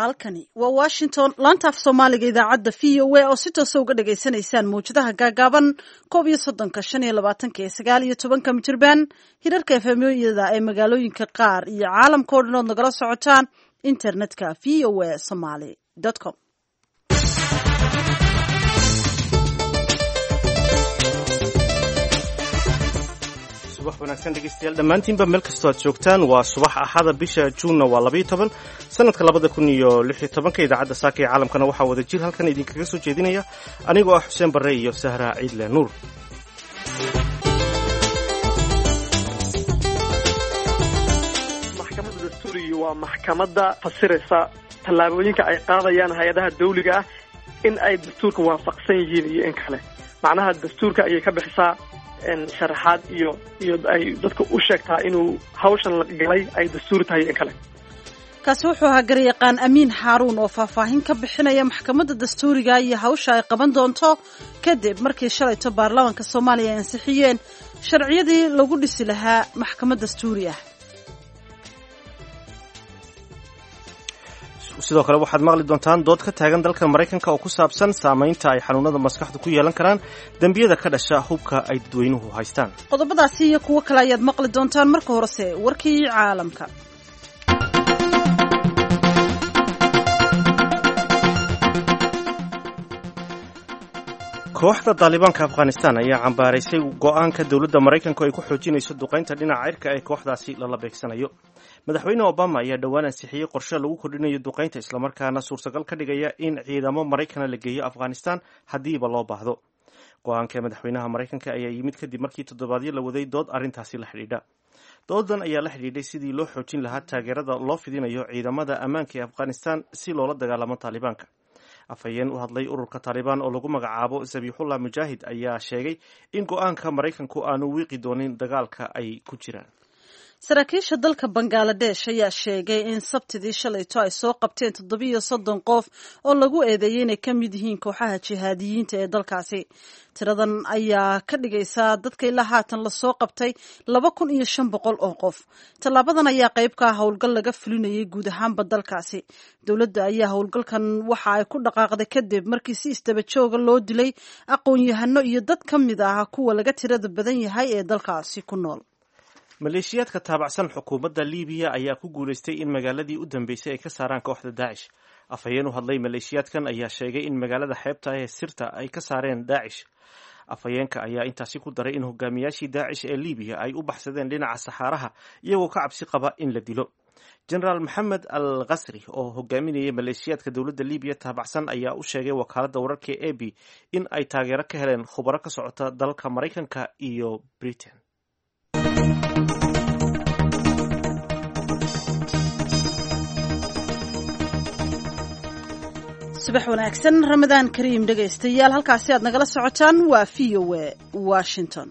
Halkani waa Washington, laanta af Soomaaliga idaacadda VOA oo si toosa uga dhagaysanaysaan mawjadaha gaagaaban 31-ka, 25-ka ee 19-ka mitirban, hirarka FM-yada ee magaalooyinka qaar iyo caalamka o dhan ood nagala socotaan internetka voasomali.com. Subax wanaagsan dhegeystayaal dhammaantiinba meel kastoo aad joogtaan. Waa subax Axada, bisha Juunna waa 12, sanadka 2016-ka. Idaacadda saaka ee caalamkana waxaa wada jir halkan idinkaga soo jeedinaya anigoo ah Xuseen Barre iyo Sahra Ciidle Nuur. Maxkamadda dastuuriga waa maxkamadda fasiraysa tallaabooyinka ay qaadayaan hay-adaha dawliga ah in ay dastuurka waafaqsan yihiin iyo in kale. Macnaha dastuurka ayay ka bixisaa sharaxaad iyo ay dadka u sheegtaa inuu hawshan la galay ay dastuuri tahay in kale. Kaasi wuxuu ahaa garyaqaan Amiin Xaaruun oo faahfaahin ka bixinaya maxkamadda dastuuriga iyo hawsha ay qaban doonto kadib markii shalayto baarlamaanka Soomaaliya ay ansixiyeen sharciyadii lagu dhisi lahaa maxkamad dastuuri ah. Sidoo kale waxaad maqli doontaan dood ka taagan dalka Maraykanka oo ku saabsan saamaynta ay xanuunada maskaxdu ku yeelan karaan dembiyada ka dhasha hubka ay dadweynuhu haystaan. Qodobadaasi iyo kuwo kale ayaad maqli doontaan. Marka horese warkii caalamka. Kooxda Daalibaanka Afghanistan ayaa cambaaraysay go-aanka dowladda Maraykanku ay ku xoojinayso duqaynta dhinaca cirka ee kooxdaasi lala beegsanayo. Madaxweyne Obama ayaa dhowaan ansixiyey qorshe lagu kordhinayo duqaynta, islamarkaana suurtagal ka dhigaya in ciidamo Maraykana la geeyo Afghanistan haddiiba loo baahdo. Go-aanka madaxweynaha Maraykanka ayaa yimid kadib markii toddobaadyo la waday dood arrintaasi la xidhiidha. Doodan ayaa la xidhiidhay sidii loo xoojin lahaa taageerada loo fidinayo ciidamada ammaanka ee Afghanistan si loola dagaalamo Taalibaanka. Afhayeen u hadlay ururka Taalibaan oo lagu magacaabo Zabiixullah Mujaahid ayaa sheegay in go-aanka Maraykanku aanu wiiqi doonin dagaalka ay ku jiraan. Saraakiisha dalka Bangaladesh ayaa sheegay in Sabtidii shalayto ay soo qabteen 37 qof oo lagu eedeeyey inay ka mid yihiin kooxaha jihaadiyiinta ee dalkaasi. Tiradan ayaa ka dhigaysa dadka ilaa haatan lasoo qabtay 2500 oo qof. Tallaabadan ayaa qayb ka ah howlgal laga fulinayay guud ahaanba dalkaasi. Dowladda ayaa howlgalkan waxa ay ku dhaqaaqday kadib markii si isdaba jooga loo dilay aqoon-yahano iyo dad ka mid ah kuwa laga tirada badan yahay ee dalkaasi ku nool. Maleeshiyaadka taabacsan xukuumadda Liibiya ayaa ku guulaystay in magaaladii u dambeysay ay ka saaraan kooxda Daacish. Afhayeen u hadlay maleeshiyaadkan ayaa sheegay in magaalada xeebta ee Sirta ay ka saareen Daacish. Afhayeenka ayaa intaasi ku daray in hogaamiyaashii Daacish ee Liibiya ay u baxsadeen dhinaca saxaaraha iyagoo ka cabsi qaba in la dilo. Jenaraal Maxamed Al Khasri oo hogaaminayay maleeshiyaadka dowladda Liibiya taabacsan ayaa u sheegay wakaaladda wararka ee AB in ay taageero ka heleen khubaro ka socota dalka Maraykanka iyo Britain. Subax wanaagsan, Ramadaan kariim dhegaystayaal. Halkaasi aad nagala socotaan waa VOA Washington.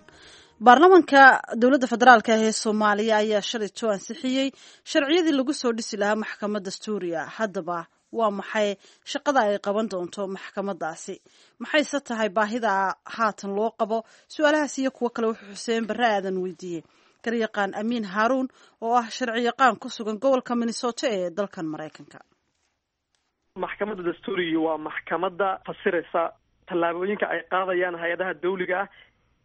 Baarlamaanka dowladda federaalka ah ee Soomaaliya ayaa shalayto ansixiyey sharciyadii lagu soo dhisi lahaa maxkamad dastuuriya. Haddaba waa maxay shaqada ay qaban doonto maxkamadaasi? Maxayse tahay baahida haatan loo qabo? Su-aalahaas iyo kuwo kale wuxuu Xuseen Barre Aadan weydiiyey garyaqaan Amiin Haaruun oo ah sharciyaqaan ku sugan gobolka Minnesota ee dalkan Maraykanka. Maxkamadda dastuuriga waa maxkamadda fasiraysa tallaabooyinka ay qaadayaan hay-adaha dawliga ah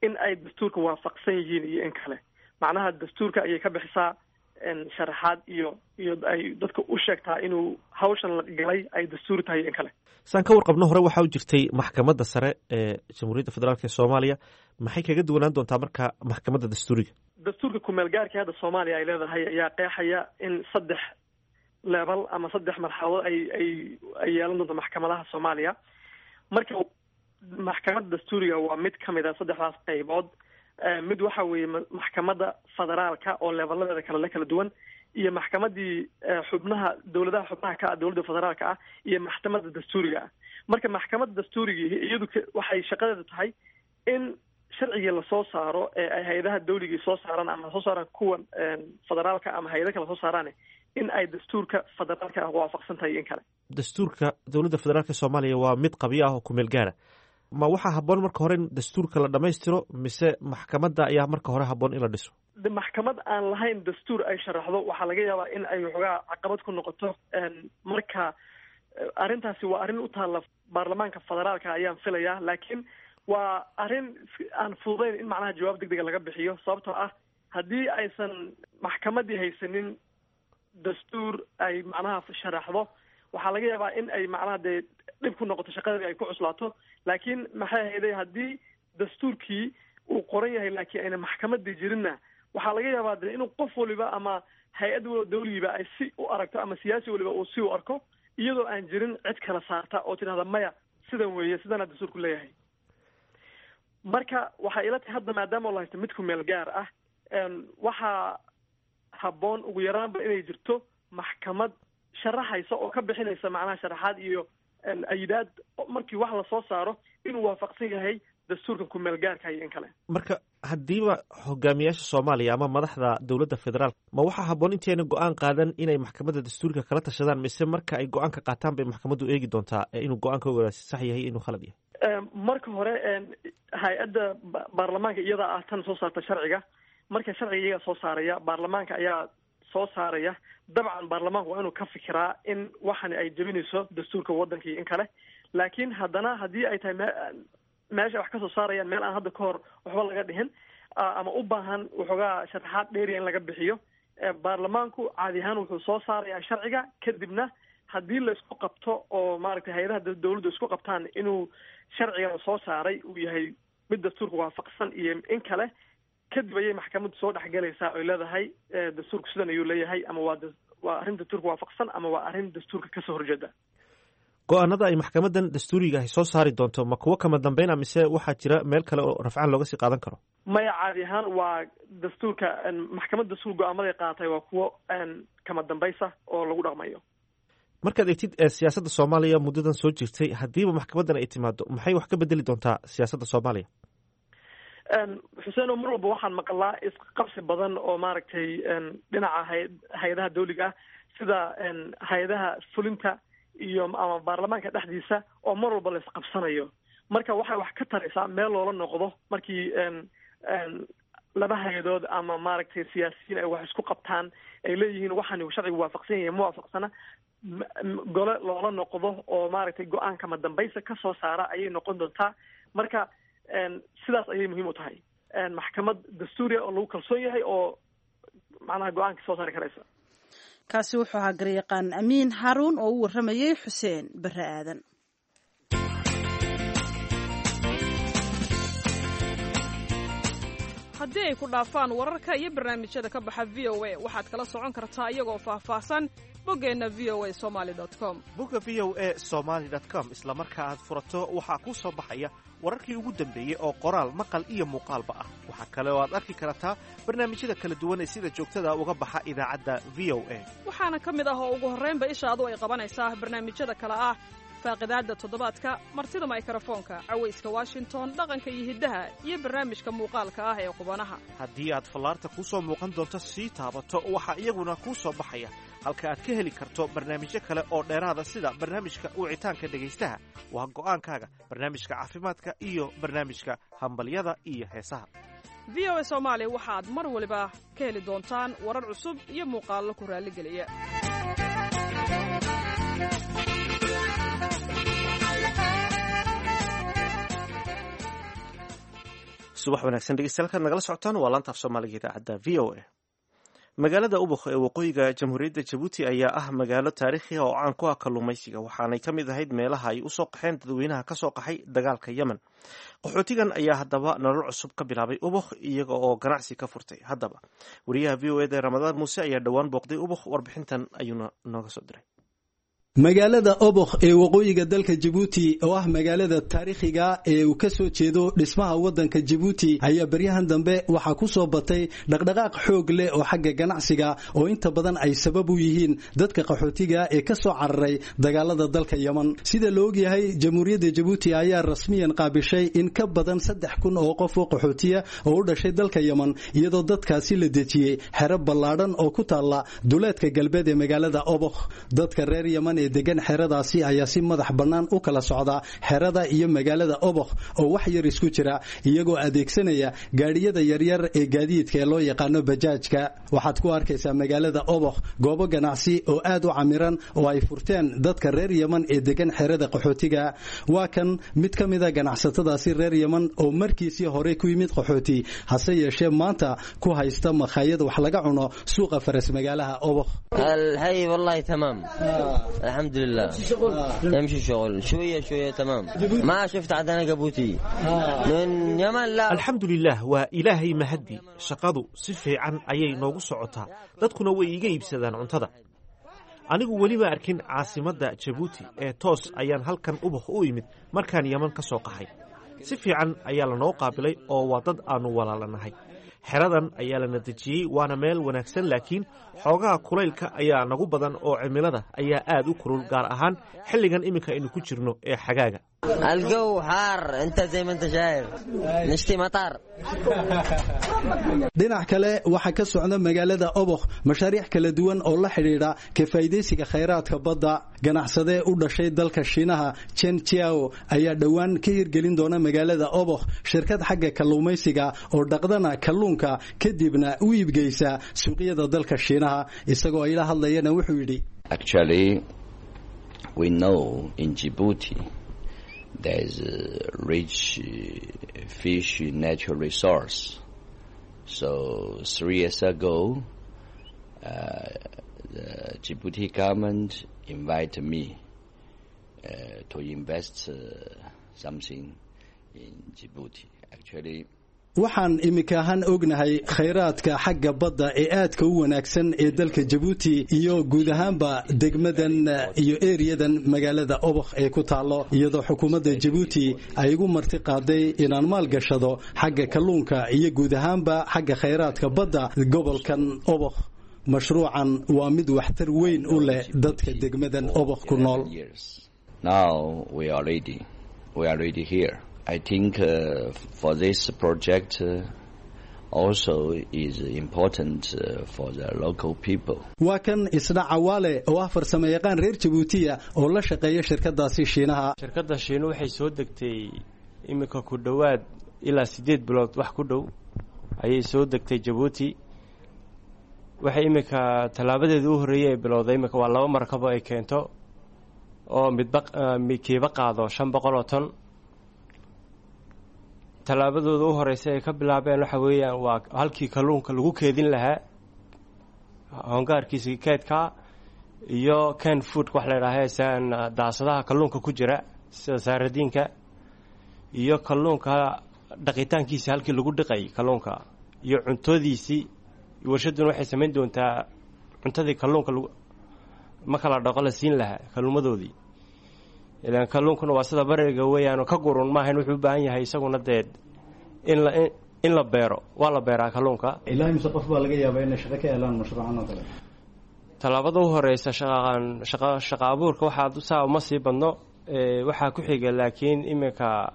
in ay dastuurka waafaqsan yihiin iyo in kale. Macnaha dastuurka ayay ka bixisaa sharaxaad iyo ay dadka u sheegtaa inuu hawshan la galay ay dastuuri tahay in kale. Saan ka warqabno, hore waxaa u jirtay maxkamadda sare ee Jamhuuriyadda Federaalk ee Soomaaliya. Maxay kaga duwanaan doontaa marka maxkamadda dastuuriga? Dastuurka kumeel gaarkii hadda Soomaaliya ay leedahay ayaa qeexaya in saddex leebal ama saddex marxaladood ay yeelan doonto maxkamadaha Soomaaliya. Marka maxkamadda dastuuriga waa mid ka mid a saddexdaas qaybood. Mid waxa weeye maxkamadda federaalka oo leebaladeeda kale la kala duwan, iyo maxkamadii xubnaha dowladaha xubnaha ka ah dowladda federaalka ah, iyo maxkamadda dastuuriga ah. Marka maxkamadda dastuuriga iyadu waxay shaqadeeda tahay in sharcigii lasoo saaro ee ay hay-adaha dawligii soo saaraan ama soo saaraan kuwa federaalka ama hay-ada kale soo saaraan in ay dastuurka federaalka ah waafaqsan tahay in kale. Dastuurka dowladda federaalka Soomaaliya waa mid qabyo ah oo kumeel gaara. Ma waxaa habboon marka hore in dastuurka la dhamaystiro mise maxkamadda ayaa marka hore habboon in la dhiso? Maxkamad aan lahayn dastuur ay sharaxdo waxaa laga yaabaa in ay waxoogaa caqabad ku noqoto. Marka Arrintaasi waa arrin u taalla baarlamaanka federaalka ayaan filayaa, laakiin waa arrin aan fududayn in macnaha jawaab degdega laga bixiyo, sababtoo ah haddii aysan maxkamaddii haysanin dastuur ay macnaha sharaxdo, waxaa laga yaabaa in ay macnaha dee dhib ku noqoto shaqadii ay ku cuslaato. Laakiin maxay ahayday, haddii dastuurkii uu qoran yahay laakiin ayna maxkamadii jirinna, waxaa laga yaabaa de inuu qof waliba ama hay-ad dawligiiba ay si u aragto ama siyaasi waliba uu si u arko, iyadoo aan jirin cid kala saarta oo tidhahda maya sidan weeye, sidana dastuurku leeyahay. Marka waxay ila tahay hadda maadaama la haysto mid ku meel gaar ah, waxaa habboon ugu yaraanba inay jirto maxkamad sharaxaysa oo ka bixinaysa macnaha sharaxaad iyo ayidaad markii wax lasoo saaro inuu waafaqsan yahay dastuurka ku-meel gaarka iyo in kale. Marka haddiiba hogaamiyaasha Soomaaliya ama madaxda dowladda federaalk, ma waxaa habboon intayna go-aan qaadan inay maxkamadda dastuurka kala tashadaan, mise marka ay go-aanka qaataan bay maxkamaddu eegi doontaa inuu go-aanka sax yahay, inuu khalad yahay? Marka hore hay-adda baarlamaanka iyadaa ah tan soo saarta sharciga. Marka sharciga iyagaa soo saaraya, baarlamaanka ayaa soo saaraya. Dabcan baarlamaanku waa inuu ka fikiraa in waxani ay jebinayso dastuurka waddanka iyo in kale. Laakiin haddana haddii ay tahay meesha wax kasoo saarayaan meel aan hadda ka hor waxba laga dhihin ama u baahan waxoogaa sharaxaad dheeriya in laga bixiyo, baarlamaanku caadi ahaan wuxuu soo saarayaa sharciga. Kadibna haddii la isku qabto oo maaragtay hay-adaha dawladdu isku qabtaan inuu sharciga soo saaray uu yahay mid dastuurka waafaqsan iyo in kale, kadib ayay maxkamaddu soo dhexgalaysaa oy leedahay dastuurku sidan ayuu leeyahay, ama waa arrin dastuurka waafaqsan ama waa arrin dastuurka kasoo horjeeda. Go-aanada ay maxkamadan dastuuriga ahi soo saari doonto ma kuwo kama dambeyn a, mise waxaa jira meel kale oo rafcaan looga sii qaadan karo? Maya, caadi ahaan waa dastuurka maxkamadda dastuur go-aamaday qaadatay waa kuwo kama dambaysa oo lagu dhaqmayo. Markaad eegtid siyaasadda Soomaaliya muddadan soo jirtay, haddiiba maxkamaddan ay timaado, maxay wax ka bedeli doontaa siyaasadda Soomaaliya? Xuseen, oo mar walba waxaan maqlaa isqabsi badan oo maaragtay dhinaca hay-adaha dawliga ah sida hay-adaha fulinta iyo ama baarlamaanka dhexdiisa oo mar walba la isqabsanayo. Marka waxay wax ka taraysaa meel loola noqdo markii laba hay-adood ama maaragtay siyaasiyiin ay wax isku qabtaan, ay leeyihiin waxaan sharcigu waafaqsan yahay ma waafaqsana, gole loola noqdo oo maaragtay go-aanka ma dambaysa ka soo saara ayay noqon doontaa. Marka sidaas ayay muhiim u tahay maxkamad dastuuriya oo lagu kalsoon yahay oo macnaha go-aanka soo saari karaysa. Kaasi wuxuu ahaa garyaqaan Amiin Haruun oo u warramayay Xuseen Barre Aadan. Haddii ay ku dhaafaan wararka iyo barnaamijyada ka baxa VOA, waxaad kala socon kartaa iyagoo faahfaahsan boggeenna voasomaly.com. Bogga voasomaly.com isla marka aad furato waxaa kuu soo baxaya wararkii ugu dambeeyey oo qoraal, maqal iyo muuqaalba ah. Waxaa kale oo aad arki kartaa barnaamijyada kala duwan ee sida joogtada uga baxa idaacadda VOA. Waxaana ka mid ah oo ugu horraynba ishaadu ay qabanaysaa barnaamijyada kale ah faaqidaadda toddobaadka, martida maykarafoonka, cawayska Washington, dhaqanka iyo hiddaha, iyo barnaamijka muuqaalka ah ee qubanaha. Haddii aad fallaarta kuu soo muuqan doonto sii taabato, waxaa iyaguna kuu soo baxaya halka aad ka heli karto barnaamijyo kale oo dheeraada sida barnaamijka wicitaanka dhegaystaha, waa go'aankaaga, barnaamijka caafimaadka iyo barnaamijka hambalyada iyo heesaha. VOA Soomaali waxaad mar waliba ka heli doontaan warar cusub iyo muuqaallo ku raalligeliya. Subax wanaagsan dhegeystayaal, kaad nagala socotaan waa laanta af Soomaaliga idaacadda VOA. Magaalada Ubuk ee waqooyiga Jamhuuriyadda Jabuuti ayaa ah magaalo taariikhi ah oo caan ku ah kalluumaysiga, waxaanay ka mid ahayd meelaha ay usoo qaxeen dadweynaha kasoo qaxay dagaalka Yemen. Qaxootigan ayaa haddaba nolol cusub ka bilaabay Ubuk, iyaga oo ganacsi ka furtay. Haddaba wariyaha VOA da Ramadaan Muuse ayaa dhowaan booqday Ubuk, warbixintan ayuuna nooga soo diray. Magaalada Obokh ee waqooyiga dalka Jabuuti oo ah magaalada taariikhiga ee uu ka soo jeedo dhismaha waddanka Jabuuti ayaa baryahan dambe waxaa ku soo batay dhaqdhaqaaq xoog leh oo xagga ganacsiga oo inta badan ay sabab u yihiin dadka qaxootiga ee ka soo cararay dagaalada dalka Yemen. Sida la ogyahay, Jamhuuriyadda Jabuuti ayaa rasmiyan qaabishay in ka badan 3000 oo qof oo qaxootiya oo u dhashay dalka Yemen, iyadoo dadkaasi la dejiyey xero ballaadhan oo ku taalla duleedka galbeed ee magaalada Obokh. Dadka reer Yemen ee degan xeradaasi ayaa si madax bannaan u kala socda xerada iyo magaalada Obokh oo wax yar isku jira, iyagoo adeegsanaya gaadhiyada yaryar ee gaadiidka ee loo yaqaano bajaajka. Waxaad ku arkaysaa magaalada Obokh goobo ganacsi oo aad u camiran oo ay furteen dadka reer Yemen ee degan xerada qaxootiga. Waa kan mid ka mid a ganacsatadaasi reer Yemen oo markiisii hore ku yimid qaxooti, hase yeeshee maanta ku haysta makhaayad wax laga cuno suuqa faras magaalaha Obokh. الحي والله تمام، الحمد لله، يمشي شغل شوية شوية، تمام. ما شفت عندنا جيبوتي من يمن لا. Alxamdulilaah, waa Ilaahay mahaddi, shaqadu si fiican ayay noogu socotaa, dadkuna way iiga iibsadaan cuntada. Anigu weliba arkin caasimadda Jabuuti ee toos ayaan halkan Ubakh u imid markaan Yeman ka soo qaxay. Si fiican ayaa lanoo qaabilay oo waa dad aannu walaalanahay. Xeradan ayaa lana dejiyey, waana meel wanaagsan, laakiin xoogaha kulaylka ayaa nagu badan oo cimilada ayaa aad u kulul, gaar ahaan xilligan iminka aynu ku jirno ee xagaaga. الجو حار، انت زي ما انت شايف، نشتي مطر. Dhinac kale, waxaa ka socda magaalada Obokh mashaariic kala duwan oo la xidhiidha ka faa'iidaysiga khayraadka badda. Ganacsadee u dhashay dalka Shiinaha, Chen Chiao, ayaa dhowaan ka hirgelin doona magaalada Obokh shirkad xagga kalluumaysiga oo dhaqdana kalluunka kadibna u iibgeysa suuqyada dalka Shiinaha. Isagoo ayla hadlayana wuxuu yidhi: Actually, we know in Djibouti there's a rich fish natural resource. So 3 years ago, the Djibouti government invited me to invest something in Djibouti. Actually, Waxaan iminka ahaan ognahay khayraadka xagga badda ee aadka u wanaagsan ee dalka Jabuuti iyo guud ahaanba degmadan iyo eriyadan magaalada Obokh ee ku taallo, iyadoo xukuumadda Jabuuti ay igu marti qaaday inaan maalgashado xagga kalluunka iyo guud ahaanba xagga khayraadka badda gobolkan Obokh. Mashruucan waa mid waxtar weyn u leh dadka degmadan Obokh ku nool. Years. Now we are ready. We are ready here. I think for this project also is important for the local people. Waa kan isna Cawaale oo ah farsamayaqaan reer Jabuutiya oo la shaqeeya shirkadaasi Shiinaha. Shirkadda Shiinu waxay soo degtay iminka ku dhowaad ilaa 8 bilood wax ku dhow ayay soo degtay Jabuuti. Waxay iminka tallaabadeeda u horreeyey ay bilowday iminka waa laba markabo ay keento oo midba kiiba qaado 500 oo ton. Tallaabadooda u horeysa ay ka bilaabeen waxa weeyaan waa halkii kalluunka lagu keedin lahaa, hongaarkiisa keedka iyo can food wax la idhaaha, saan daasadaha kalluunka ku jira sida saaradiinka, iyo kalluunka dhaqitaankiisa, halkii lagu dhiqay kalluunka iyo cuntadiisii. Warshadduna waxay samayn doontaa cuntadii kalluunka lagu marka la dhaqo la siin lahaa kalluumadoodii, ilaan kalluunkuna waa sida bariga weeyaanoo ka gurun maahayn, wuxuu u baahan yahay isaguna dee in la beero, waa la beeraa kalluunka. Ilaa imse qof baa laga yaabaa inay shaqo ka helaan mashruucan oo kale? Tallaabada u horeysa shaqaan shaqa shaqa abuurka waxaa saa uma sii badno. Waxaa ku xiga laakiin iminka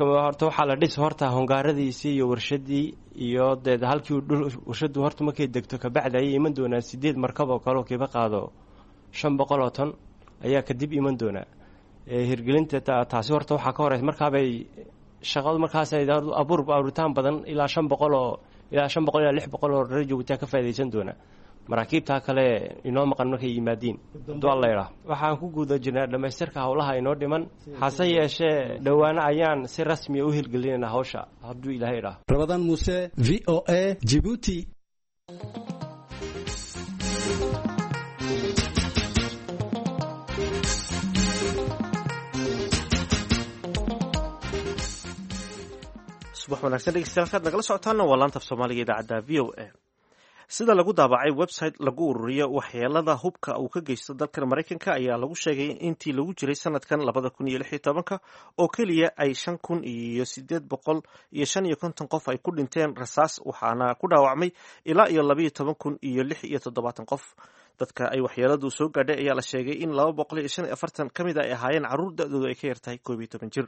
horta waxaa la dhis horta hongaaradiisii iyo warshadii iyo dee halkii dhul warshadu horta markay degto kabacdi ayay iman doonaa sideed markab oo kale oo kiiba qaado 500 oo ton ayaa kadib iman doonaa. Hirgelinta taasi horta waxaa ka horeysa markaabay shaqadu markaas abuur abuuritaan badan ilaa 500 oo ilaa 500 ilaa 600 oo reer Jabuuti ka faa'iidaysan doona maraakiibtaa kale inoo maqan markay yimaadiin dual layidhaah. Waxaan ku guda jirnaa dhammaystirka howlaha inoo dhiman, hase yeeshee dhowaano ayaan si rasmiya u hirgelinaynaa hawsha hadduu Ilaahay idhaah. Rabadaan Muuse, VOA, Jibuuti. Subax wanaagsan dhegeystayaal, kaad nagala socotaana waa laanta af Soomaaliga idaacadda VOA. Sida lagu daabacay website lagu ururiyo waxyeelada hubka uu ka geysto dalkan Maraykanka ayaa lagu sheegay in intii lagu jiray sanadkan 2016-ka oo keliya ay 5855 qof ay ku dhinteen rasaas, waxaana ku dhaawacmay ilaa iyo 12,076 qof. Dadka ay waxyeeladu soo gaadhay ayaa la sheegay in 245 ka mid a ay ahaayeen carruur da-doodu ay ka yartahay 11 jir.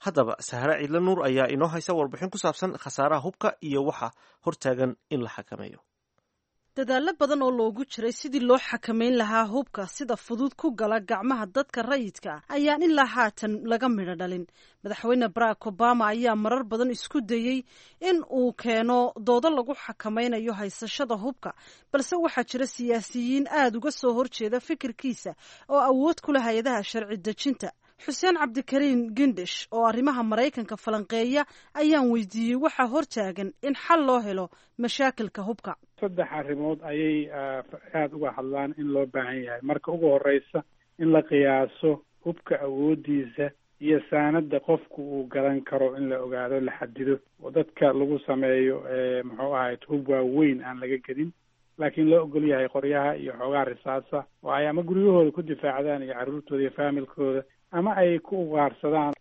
Haddaba, Sahre Ciidle Nuur ayaa inoo haysa warbixin ku saabsan khasaaraha hubka iyo waxa hortaagan in la xakameeyo. Dadaallo badan oo loogu jiray sidii loo xakamayn lahaa hubka sida fudud ku gala gacmaha dadka rayidka ah ayaan ilaa haatan laga midho dhalin. Madaxweyne Barack Obama ayaa marar badan isku dayey in uu keeno doodo lagu xakamaynayo haysashada hubka, balse waxaa jira siyaasiyiin aada uga soo horjeeda fikirkiisa oo awood ku leh hay-adaha sharci dejinta. Xuseen Cabdikariin Gindish oo arrimaha Maraykanka falanqeeya ayaan weydiiyey waxaa hortaagan in xal loo helo mashaakilka hubka. Saddex arrimood ayay aada uga hadlaan in loo baahan yahay. Marka ugu horeysa, in la qiyaaso hubka awoodiisa iyo saanada qofku uu gadan karo, in la ogaado, la xadido oo dadka lagu sameeyo, muxuu ahayd, hub waaweyn aan laga gedin, laakiin loo ogol yahay qoryaha iyo xoogaa risaasa oo ay ama guryahooda ku difaacdaan iyo carruurtooda iyo faamilkooda ama ay ku ugaarsadaan.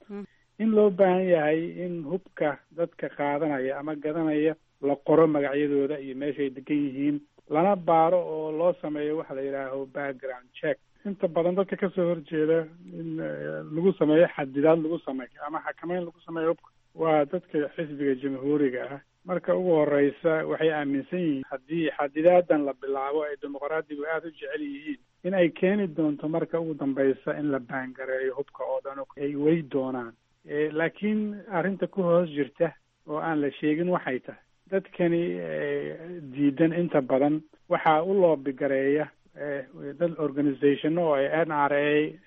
In loo baahan yahay in hubka dadka qaadanaya ama gadanaya la qoro magacyadooda iyo meeshay degan yihiin, lana baaro oo loo sameeyo waxa la yidhaaho background check. Inta badan dadka kasoo horjeeda in lagu sameeyo xadidaad lagu sameeyo ama xakameyn lagu sameeyo hubka waa dadka xisbiga Jamhuuriga ah. Marka ugu horeysa, waxay aaminsan yihiin haddii xadidaadan la bilaabo, ay Dimuqraadigu aada u jecel yihiin, in ay keeni doonto marka ugu dambeysa in la baangareeyo hubka oo dhan, ay wey doonaan. Laakiin arrinta ku hoos jirta oo aan la sheegin waxay tahay, dadkani diidan inta badan waxaa u loobigareeya dad organization oo ay NRA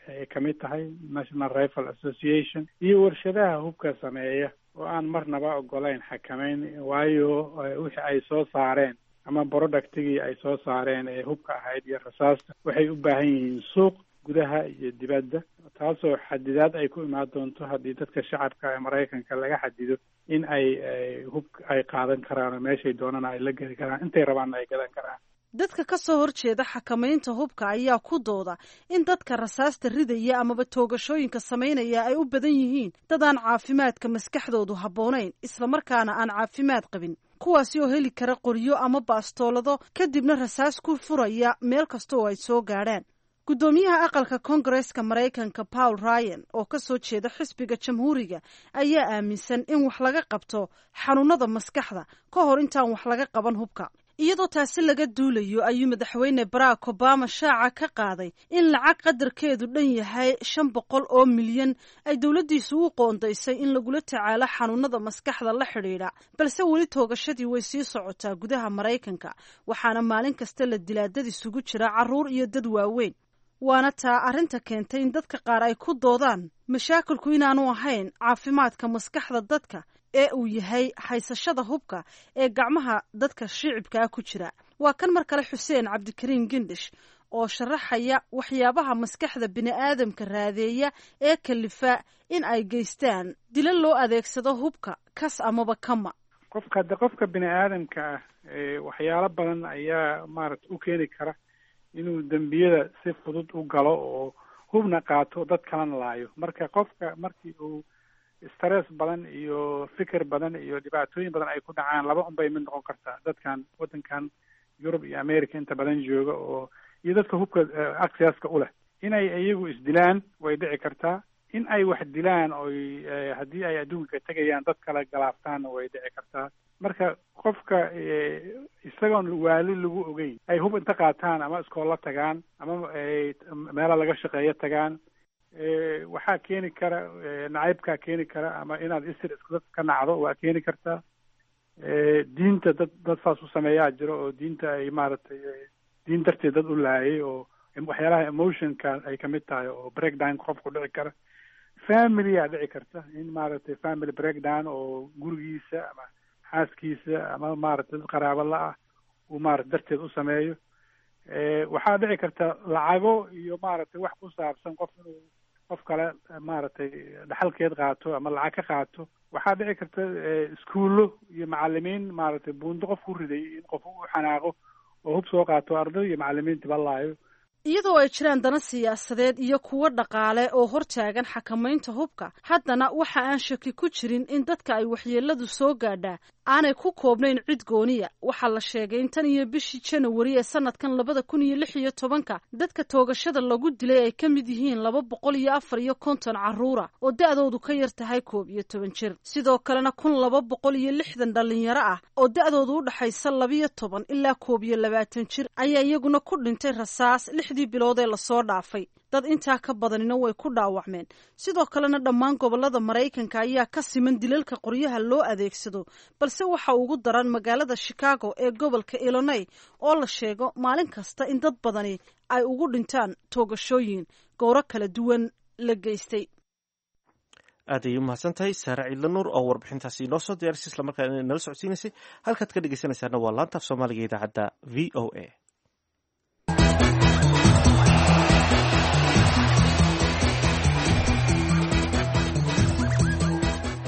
ay kamid tahay, National Rifle Association, iyo warshadaha hubka sameeya oo aan marnaba ogolayn xakameyn, waayo wixii ay soo saareen ama productigii ay soo saareen ee hubka ahayd iyo rasaasta waxay u baahan yihiin suuq gudaha iyo dibadda, taasoo xadidaad ay ku imaan doonto haddii dadka shacabka ee Maraykanka laga xadido in ay hub ay qaadan karaan oo meeshay doonana ay la geli karaan, intay rabaanna ay gadan karaan. Dadka ka soo horjeeda xakamaynta hubka ayaa ku dooda in dadka rasaasta ridaya amaba toogashooyinka samaynaya ay u badan yihiin dad aan caafimaadka maskaxdoodu habboonayn, islamarkaana aan caafimaad qabin, kuwaasi oo heli kara qoryo ama baastoolado, kadibna rasaas ku furaya meel kasta oo ay soo gaadhaan. Guddoomiyaha aqalka Koongareeska Maraykanka Paul Ryan oo ka soo jeeda xisbiga Jamhuuriga ayaa aaminsan in wax laga qabto xanuunada maskaxda ka hor intaan wax laga qaban hubka. Iyadoo taasi laga duulayo ayuu Madaxweyne Barack Obama shaaca ka qaaday in lacag qadarkeedu dhan yahay 500 oo milyan ay dowladdiisu u qoondaysay in lagula tacaalo xanuunada maskaxda la xidhiidha. Balse weli toogashadii way sii socotaa gudaha Maraykanka, waxaana maalin kasta la dilaa dad isugu jira carruur iyo dad waaweyn. Waana taa arrinta keentay in dadka qaar ay ku doodaan mashaakilku inaanu ahayn caafimaadka maskaxda dadka ee uu yahay haysashada hubka ee gacmaha dadka shicibkaa ku jira. Waa kan mar kale Xuseen Cabdikariin Gindish oo sharaxaya waxyaabaha maskaxda bini'aadamka raadeeya ee kalifa in ay geystaan dilo loo adeegsado hubka kas amaba kama. Qofka hadda, qofka bini aadamka ah, waxyaalo badan ayaa maaragta u keeni kara inuu dembiyada si fudud u galo oo hubna qaato, dad kalena laayo. Marka qofka markii uu stress badan iyo fikir badan iyo dhibaatooyin badan ay ku dhacaan, laba un bay mid noqon kartaa. Dadkan waddankan Yurub iyo America inta badan jooga oo iyo dadka hubka accesska u leh, inay iyagu isdilaan way dhici kartaa, in ay wax dilaan oy haddii ay adduunka tegayaan dad kale galaaftaanna way dhici kartaa. Marka qofka isagoon waali lagu ogeyn ay hub inta qaataan ama iskoolla tagaan ama meela laga shaqeeyo tagaan, waxaa keeni kara nacaybkaa keeni kara, ama inaad isir isku ka nacdo waa keeni kartaa. Diinta dad saas u sameeyaa jiro oo diinta ay maaragtay diin darteed dad u laayay, oo waxyaalaha emotionka ay kamid tahay oo breakdown qofku dhici kara. Family-aa dhici karta in maaragtay family breakdown oo gurigiisa ama xaaskiisa ama maaragtay dad qaraabo la-ah uu maarata darteed u sameeyo. Waxaa dhici karta lacago iyo maaragtay wax ku saabsan qof inuu qof kale maaragtay dhaxalkeed qaato ama lacag ka qaato. Waxaa dhici karta iskuullo iyo macalimiin maaragtay buundo qof ku riday in qof u xanaaqo oo hub soo qaato, arday iyo macalimiintiba laayo. Iyadoo ay jiraan dana siyaasadeed iyo kuwo dhaqaale oo hortaagan xakamaynta hubka, haddana waxa aan shaki ku jirin in dadka ay waxyeeladu soo gaadhaa Aanay ku koobnayn cid gooniya. Waxaa la sheegay in tan iyo bishii Janawari ee sanadkan 2016-ka dadka toogashada lagu dilay ay ka mid yihiin 254 carruura oo da'doodu ka yar tahay 11 jir, sidoo kalena 1260 dhalinyaro ah oo da'doodu u dhaxaysa 12 ilaa 21 jir ayaa iyaguna ku dhintay rasaas 6dii bilood ee lasoo dhaafay. Dad intaa ka badanina way ku dhaawacmeen. Sidoo kalena dhammaan gobolada Maraykanka ayaa ka siman dilalka qoryaha loo adeegsado, balse waxa ugu daran magaalada Chicago ee gobolka Illinois oo la sheego maalin kasta in dad badani ay ugu dhintaan toogashooyin gowro kala duwan la geystay. Aad ayay umahadsan tahay Saare Ciidla Nuur oo warbixintaasi inoo soo diyaarisay islamarkaana nala socodsiinaysay. Halkaad ka dhegeysanaysaana waa laanta af Soomaaliga idaacadda VOA.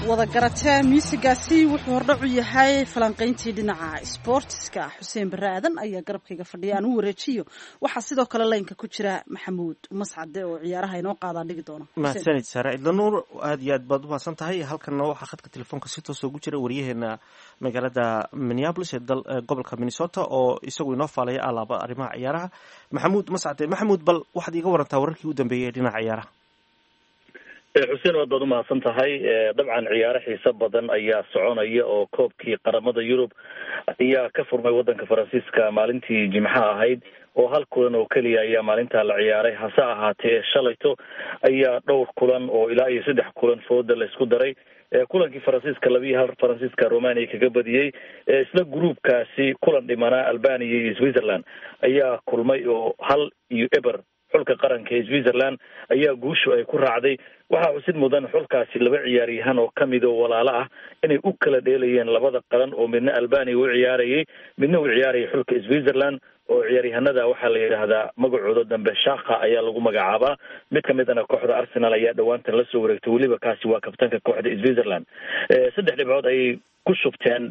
Wada garatee, muusigaasi wuxuu hordhacu yahay falanqayntii dhinaca sboortiska. Xuseen Barre Aadan ayaa garabkayga fadhiya, aan u wareejiyo. Waxaa sidoo kale laynka ku jira Maxamuud Mascade oo ciyaaraha inoo qaadaan dhigi doona. Mahadsanid Saare Cidla Nuur, aad iyo aad baad umahadsan tahay. Halkanna waxaa khadka telefoonka si toosa ugu jira wariyaheena magaalada Minneapolis ee gobolka Minnesota oo isagu inoo faalaya alaaba arrimaha ciyaaraha, Maxamuud Mascade. Maxamuud, bal waxaad iiga warantaa wararkii u dambeeyey ee dhinaca ciyaaraha. Xuseen, waad baad umahadsan tahay. Dabcan ciyaaro xiiso badan ayaa soconaya oo koobkii qaramada Yurub ayaa ka furmay wadanka Faransiiska maalintii Jimcaha ahayd, oo hal kulan oo keliya ayaa maalintaa la ciyaaray. Hase ahaatee shalayto ayaa dhowr kulan oo ilaa iyo saddex kulan fooda la isku daray. Kulankii Faransiiska 2-1 Faransiiska Romania kaga badiyey. Isla gruubkaasi kulan dhimanaa Albania iyo Switzerland ayaa kulmay oo 1-0 xulka qaranka ee Switzerland ayaa guushu ay ku raacday. Waxaa xusid mudan xulkaasi laba ciyaaryahan oo kamid oo walaalo ah inay u kala dheelayeen labada qaran, oo midna Albania u ciyaarayay, midna u ciyaarayay xulka Switzerland. Oo ciyaaryahanada waxaa la yidhaahdaa magacooda dambe Shaka ayaa lagu magacaabaa. Mid kamidana kooxda Arsenal ayaa dhowaantan lasoo wareegtay, weliba kaasi waa kabtanka kooxda Switzerland. Saddex dhibcood ayay ku shubteen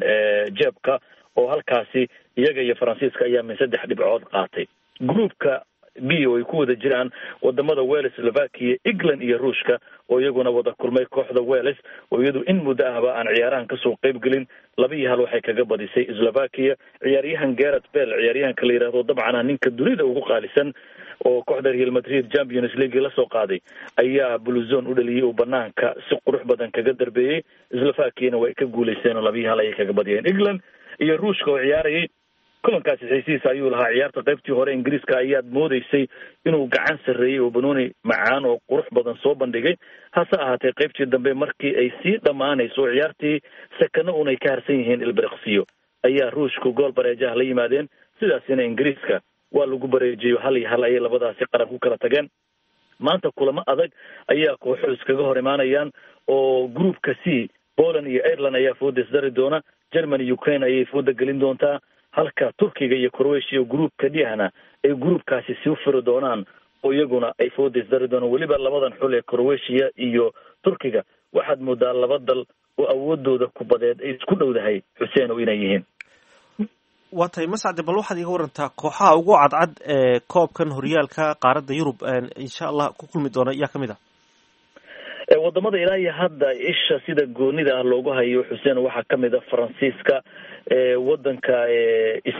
jeebka oo halkaasi iyaga iyo Faransiiska ayaa min saddex dhibcood qaatay. Groupka B oo ay ku wada jiraan wadamada Wales, Slovakia, England iyo Ruushka oo iyaguna wada kulmay, kooxda Wales oo iyadu in muddo ahba aan ciyaarahan kasoo qayb gelin 2-1 waxay kaga badisay Slovakia. Ciyaaryahan Gareth Bale, ciyaaryahanka la yidhaahdo dabcan ah ninka dunida ugu qaalisan oo kooxda Real Madrid Champions League lasoo qaaday, ayaa Bluzone u dhaliyay oo banaanka si qurux badan kaga darbeeyey. Slovakiana way ka guuleysteen oo 2-1 ayay kaga badiyeen. England iyo Ruushka oo ciyaarayay, kulankaasi xiisihiisa ayuu lahaa. Ciyaarta qaybtii hore Ingiriiska ayaad moodeysay inuu gacan sarreeyey oo banooni macaan oo qurux badan soo bandhigay. Hase ahaatee qaybtii dambe markii ay sii dhammaanayso oo ciyaartii sakano un ay ka harsan yihiin ilbiriqsiyo, ayaa Ruushku gool bareejaha la yimaadeen. Sidaasina Ingiriiska waa lagu bareejiyo, 1-1 ayay labadaasi qaran ku kala tageen. Maanta kulamo adag ayaa kooxuhu iskaga hor imaanayaan oo groupka C Poland iyo Ireland ayaa fooda isdari doona, Germany Ukraine ayay fooda gelin doontaa, halka Turkiga iyo Croatia groupka D-hana ay groupkaasi sii furi doonaan oo iyaguna ay fooda isdari doonaan. Weliba labadan xul ee Croatia iyo Turkiga waxaad moodaa laba dal oo awoodooda kubadeed ay isku dhowdahay, Xuseen, oo inay yihiin. Waa tahay Mascade, bal waxaad iiga warantaa kooxaha ugu cadcad ee koobkan horyaalka qaaradda Yurub insha Allah ku kulmi doona yaa kamid ah? Wadamada ilaa iyo hadda isha sida goonida ah loogu hayo, Xuseen, waxaa kamid a Faransiiska, wadanka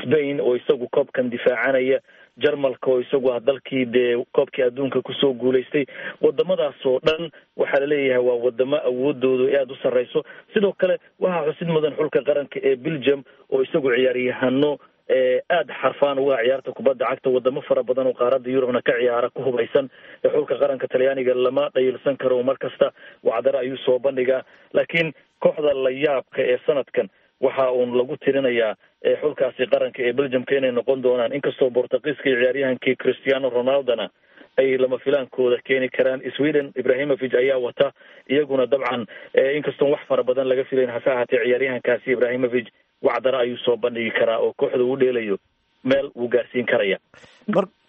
Spain oo isagu koobkan difaacanaya, Jarmalka oo isagu ah dalkii dee koobkii adduunka kusoo guulaystay. Wadamadaas oo dhan waxaa laleeyahay waa wadamo awoodoodu aada u sarreyso. Sidoo kale waxaa xusid mudan xulka qaranka ee Belgium oo isagu ciyaaryahano aada xarfaan uga ciyaarta kubadda cagta, wadamo fara badan oo qaaradda Yurubna ka ciyaara ku hubaysan. Xulka qaranka Talyaaniga lama dhayilsan karo, mar kasta wacdaro ayuu soo bandhigaa. Laakiin kooxda la yaabka ee sanadkan waxa uun lagu tirinayaa xulkaasi qaranka ee Belgiumka inay noqon doonaan, inkastoo Bortugiiska iyo ciyaaryahankii Cristiano Ronaldona ay lama filaankooda keeni karaan. Sweden Ibrahimovic ayaa wata, iyaguna dabcan inkastoon wax fara badan laga filayn, hase ahaatee ciyaaryahankaasi Ibrahimovic wacdaro ayuu soo bandhigi karaa oo kooxda uu dheelayo meel wuu gaarsiin karaya.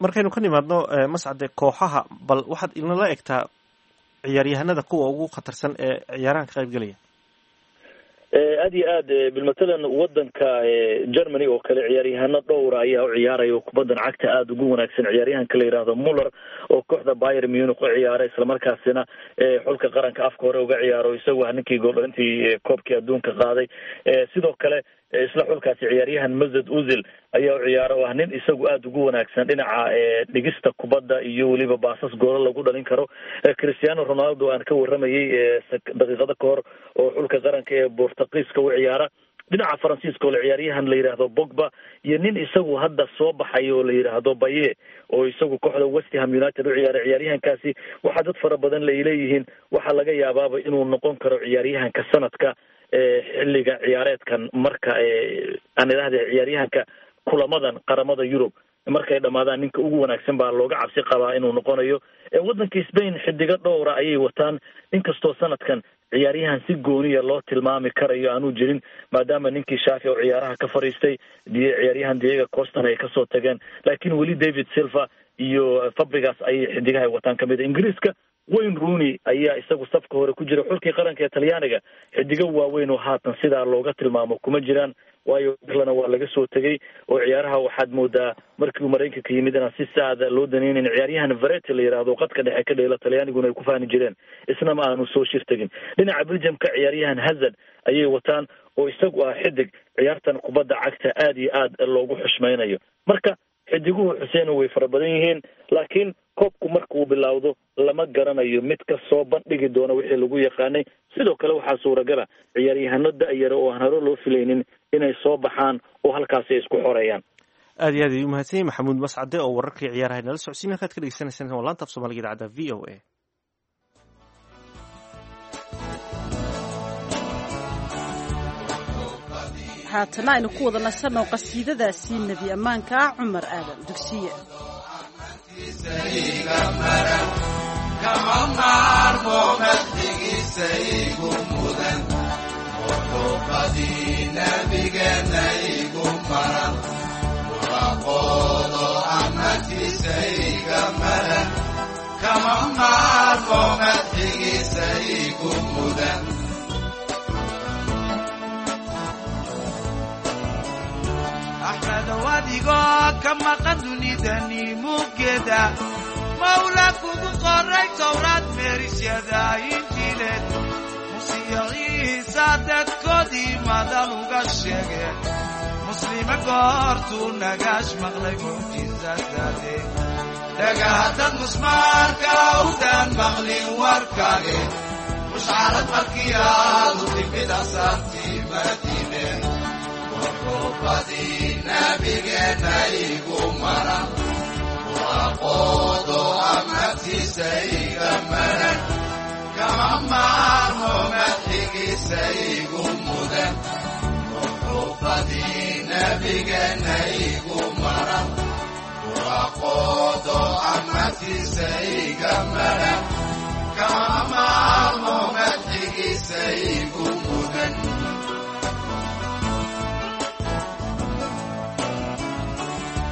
Markaynu ka nimaadno, Mascade, kooxaha, bal waxaad inala egtaa ciyaaryahanada kuwa ugu khatarsan ee ciyaarahan ka qayb gelaya. Aad iyo aad, bilmatalan wadanka Germany oo kale ciyaaryahano dhowra ayaa u ciyaaraya oo kubaddan cagta aada ugu wanaagsan. Ciyaaryahanka la yidhaahdo Muller oo kooxda Bayern Munich u ciyaara, islamarkaasina xulka qaranka afka hore uga ciyaaro, isagu ah ninkii gooldhalintii koobkii adduunka qaaday. Sidoo kale isla xulkaasi ciyaaryahan Mesut Ozil ayaa u ciyaara oo ah nin isagu aada ugu wanaagsan dhinaca dhigista kubadda iyo weliba baasas goolo lagu dhalin karo. Cristiano Ronaldo aan ka warramayay daqiiqado ka hor oo xulka qaranka ee Bortugiiska u ciyaara. Dhinaca Faransiiska oo la ciyaaryahan la yidhaahdo Pogba iyo nin isagu hadda soo baxay oo la yidhaahdo Baye oo isagu kooxda West Ham United u ciyaaray. Ciyaaryahankaasi waxaa dad fara badan lay leeyihiin waxaa laga yaabaaba inuu noqon karo ciyaaryahanka sanadka xilliga ciyaareedkan, marka aan idhaahda ciyaaryahanka kulamadan qaramada Yurub markay dhamaadaan ninka ugu wanaagsan baa looga cabsi qabaa inuu noqonayo. Waddanka Spain xidigo dhowra ayay wataan, inkastoo sanadkan ciyaaryahan si gooniya loo tilmaami karayo aanuu jirin, maadaama ninkii Shaafi oo ciyaaraha ka fadhiistay, ciyaaryahan Diego Costan ay kasoo tageen, laakiin weli David Silva iyo Fabregas ayay xidigaha wataan kamid a. Ingiriiska Wayne Rooney ayaa isagu safka hore ku jira. Xulkii qaranka ee Talyaaniga xidigo waaweyn oo haatan sidaa looga tilmaamo kuma jiraan, waayo lana waa laga soo tegey oo ciyaaraha waxaad moodaa markii uu Maraykanka yimid inaan si saada loo daneynin. Ciyaaryahan Vereti la yidhaahdo qadka dhexe ka dheela Talyaaniguna ay ku faani jireen, isna ma aanu soo shir tegin. Dhinaca Belgiumka ciyaaryahan Hazard ayay wataan oo isagu ah xidig ciyaartan kubadda cagta aada iyo aad loogu xushmaynayo. Marka xidiguhu, Xuseen, way fara badan yihiin, laakiin koobku marka uu bilowdo lama garanayo mid ka soo bandhigi doona wixii lagu yaqaanay. Sidoo kale waxaa suuragala ciyaaryahano da-yara oo aan hore loo filaynin inay soo baxaan oo halkaasi ay isku xoreeyaan. Aad iyo aad ayuu mahadsan yahay Maxamuud Mascade oo wararkii ciyaaraha nala socodsiin. Halkaad ka dhegeysanaysaan waa laanta af Soomaaliga idaacadda VOA. Haatana aynu ku wada nasanno qasiidadaasi nebi ammaanka ah, Cumar Aadan Dugsiye. Kama maarmo madxigiisa igu mudan, muxuubadii nabigeena igu maran, muraqoodo amatiisa iga maran. Kama maarmo madxigiisa igu mudan. Axmedow, adigoo ka maqan dunidani muggeeda, Mawla kugu qoray Towraad, meerisyada Injiileed, Musiya Ciisa dadkoodii madal uga sheege. Muslima goortuu nagaash maqlay mucjizadaade, dhagaadad musmaarka awdaan maqlin warkaage, mushcarad markii aadu timid asaartii Madiine, muxuubadii nabigeena igu maran, muraqoodo amatiisa iga maran. Kama maarmo madxigiisa igu mudan, muxuubadii nabigeena igu maran, muraqoodo amatiisa iga maran. Kama maarmo madxigiisa igu mudan.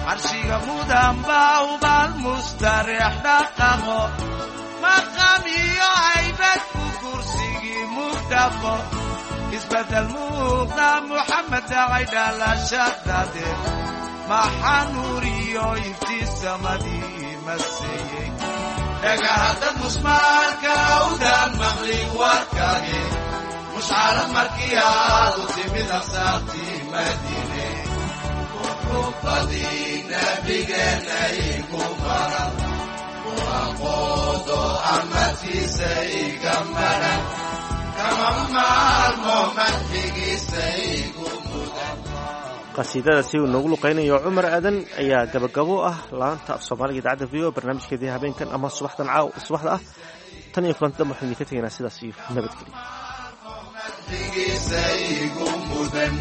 Carshiga mudan baa ubaal mustareex dhaqaqo, maqam iyo aybad ku kursigii mugdhafo, isbedel muuqda Muxamed dhacay dhalashadade, maxaa nuuriyo iftiisamadii maseeyey. Dhagahadad musmaarka awdaan maqlin warkaage, mushcarad markii aadu timid aqsaartii Madiine, muxuubadii nabigeena igu maran, muraqoodo amatiisa iga maran. Kama maarmo madxigiisa igu mudan. Qasiidadaasi uu noogu luqeynayo Cumar Aadan ayaa gabagabo ah laanta af Soomaaliga idaacadda VOA barnaamijkeedii habeenkan ama subaxdan caaw subaxda ah. Tan iyo kulanti dambe waxaan idinka tegaynaa sidaas iyo nabadgelyo. Madxigiisa igu mudan.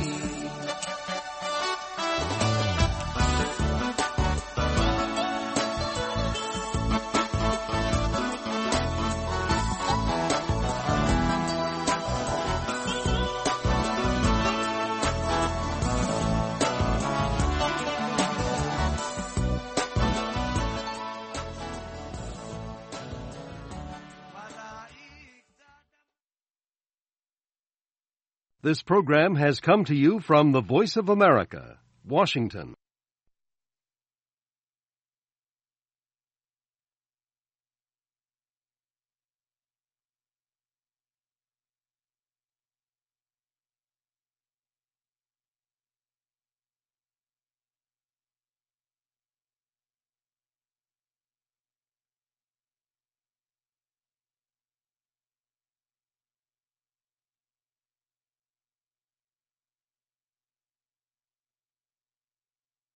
This program has come to you from the Voice of America, Washington.